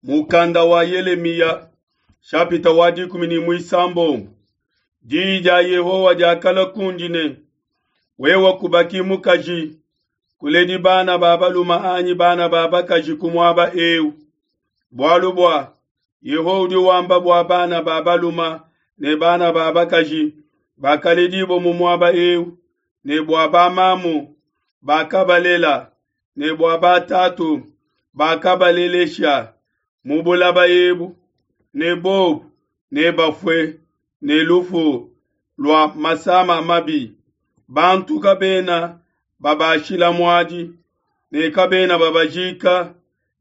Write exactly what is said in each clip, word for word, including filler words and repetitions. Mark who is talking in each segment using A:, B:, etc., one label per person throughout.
A: Mukanda wa Yelemiya shapita wa dikumi ne muisambombo. Diyi dia Yehowa diakalua kundi ne, wewe kubaki mukaji, kuledi bana ba baluma anyi bana ba bakaji ku muaba eu. Bualu bua Yehowa udi wamba bua bana ba baluma ne bana ba bakaji bakaledibua mu muaba eu, ne bua bamamu bakabalela, ne bua batatu bakabalelesha mu bulaba ebu, ne bobu nebafue ne lufu lua masama mabi. Bantu kabena babashila muadi, ne kabena babajika,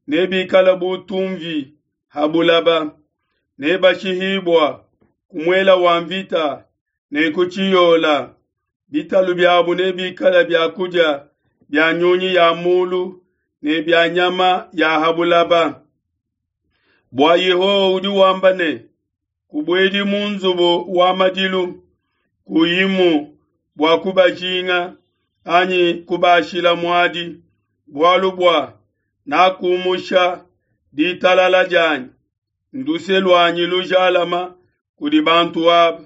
A: nebikale bu tumvi ha bulaba, nebashihibua ku muele wa mvita ne ku tshiyola. Bitalu biabo nebikale bia kudia bia nyunyi ya mulu ne bia nyama ya ha bulaba. Bua Yehowa udi wamba ne, kubuedi mu nzubu wa madilu, kuyimu bua kubajinga anyi kubashila muadi, bualu bua nakumusha ditalala dianyi, nduse luanyi lujalama kudi bantu aba,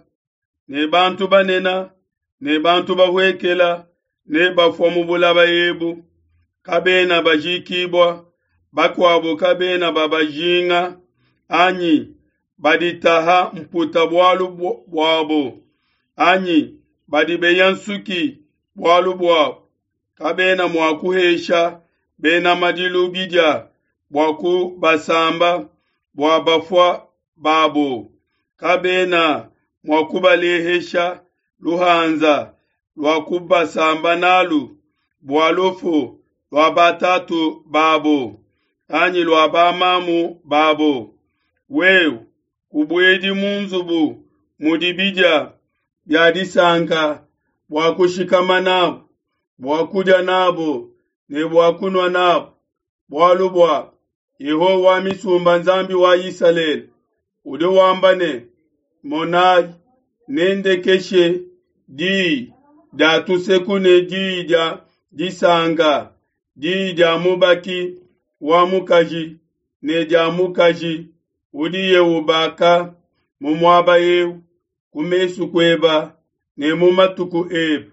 A: ne bantu banene ne bantu bahuekela nebafua mu bulaba ebu. Kabena bajikibua, bakuabo kabena babajinga anyi baditaha mputa bualu buabo, anyi badibeya nsuki bualu buabo. Kabena mua kuhesha bena madilu bidia bua kubasamba bua bafua babo, kabena mua kubalehesha luhanza lua kubasamba nalu bua lufu lua batatu babo anyi lua bamamu babo. Wewe kubuedi mu nzubu mudi bidia bia disanka bua kushikama nabo, bua kudia nabo ne bua kunua nabo, bualu bua Yehowa wa misumba, Nzambi wa Isalele, udi wamba ne, Monai, nendekeshe diyi dia tuseku ne diyi dia disanka, diyi dia mubaki wa mukaji ne dia mukaji udiye ubaka mu muaba eu ku mesu kueba ne mu matuku ebe.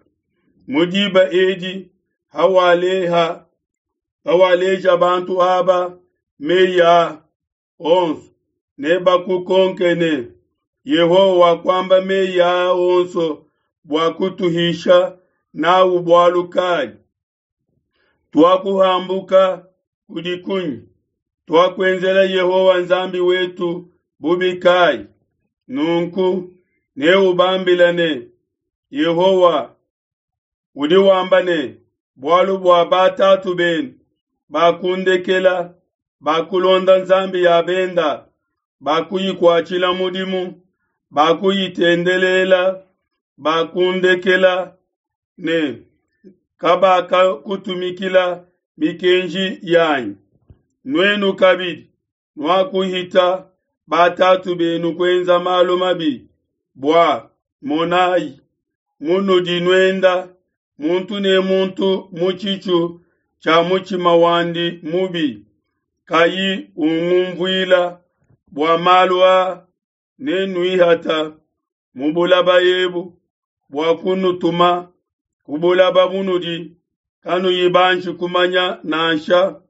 A: Mu diba edi hawaleha hawaleja bantu aba meyi a onso, nebakukonke ne, Yehowa wakuamba meyi a onso bua kutuhisha n'au bualu kai? Tuakuhambuka kudi kunyi? Tuakuenzela Yehowa Nzambi wetu bubi kai? Nunku neubambile ne, Yehowa udi wamba ne, bualu bua batatu benu bakundekela, bakulonda nzambi ya benda, bakuyikuatshila mudimu, bakuyitendelela, bakundekela ne kabakakutumikila mikenji yanyi. Nuenu kabidi nuakuhita batatu benu kuenza malu mabi, bua monai munudi nuenda muntu ne muntu mu tshitshu tshia mutshima wandi mubi, kayi ungunvuila. Bua malu a nenuihata mu bulaba ebu bua kunutuma ku bulaba bunudi kanuyi banji kumanya, nansha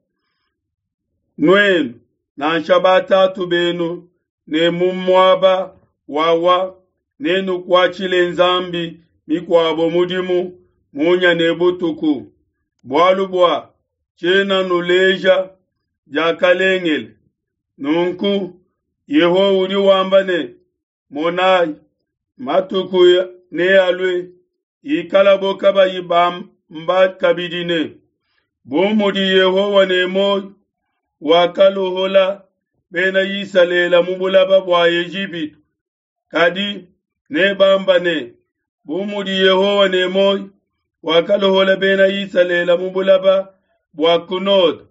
A: nuenu nansha batatu benu, ne mu muaba wawa nenukuatshile nzambi mikuabo mudimu munya ne butuku, bualu bua tshiena nuleja diakalengele. Nunku Yehowa udi wamba ne, monai, matuku nealue ikalabo kabayi bamba kabidi ne, bu mudi Yehowa ne muoyo wakalohola bena Isalele mu bulaba bua Ejipitu. Kadi nebamba ne, bu mudi Yehowa ne muoyo wakalohola bena Isalele mu bulaba bua ku node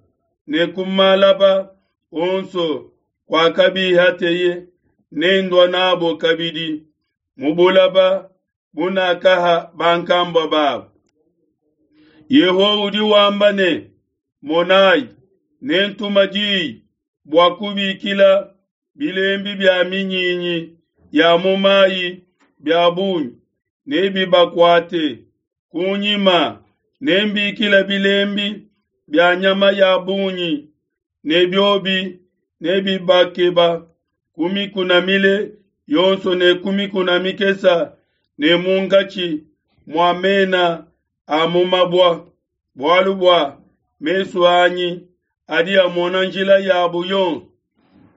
A: ne ku malaba onso kwakabihateye, nendua nabo kabidi mu bulaba bunakaha bankambua babo. Yehowa udi wamba ne, monai, nentuma diyi bua kubikila bilembi bia minyinyi ya mu mayi bia bungi, nebibakuate. Kunyima nembikile bilembi bia nyama ya bungi, ne biobi nebibakeba ku mikuna mile yonso ne ku mikuna mikesa ne munkatshi mua mena a mu mabua, bualu bua mesu anyi adi amona njila yabo yonso,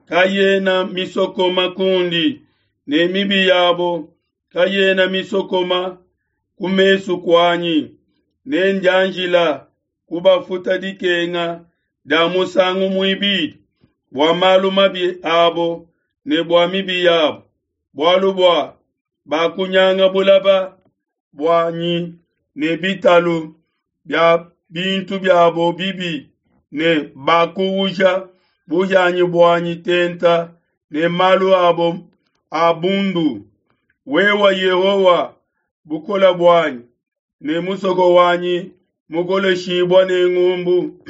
A: kayena misokoma kundi, ne mibi yabo kayena misokoma ku mesu kuanyi. Nendianjila kubafuta dikenga dia musangu muibidi bua malu mabi abo ne bua mibi yabo, bualu bua bakunyanga bulaba buanyi ne bitalu bia bintu biabo bibi ne bakuwuja buhianyi buanyi tenta ne malu abo a bundu. Wewe Yehowa, bukole buanyi ne musoko wanyi mukoleshibua ne ngumbu,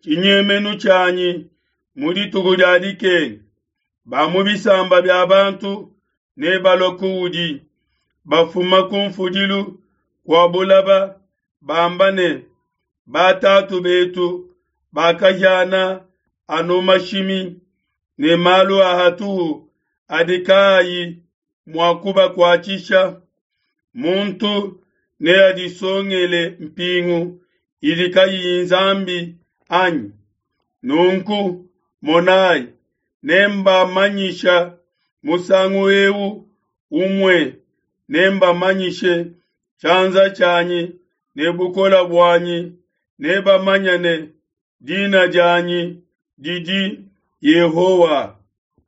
A: tshinyemenu tshianyi mu dituku dia dikenga. Ba mu bisamba bia bantu nebalue kuudi, bafuma ku mfudilu kua bulaba, bamba ne, batatu betu bakahiana anu mashimi ne malu a hatuhu adi kaayi mua kubakuatshisha. Muntu neadisongele mpingu idi kayiyi nzambi anyi? Nunku monai, nembamanyisha musangu eu umue, nembamanyishe tshianza tshianyi ne bukole buanyi, nebamanye ne, dina dianyi didi Yehowa.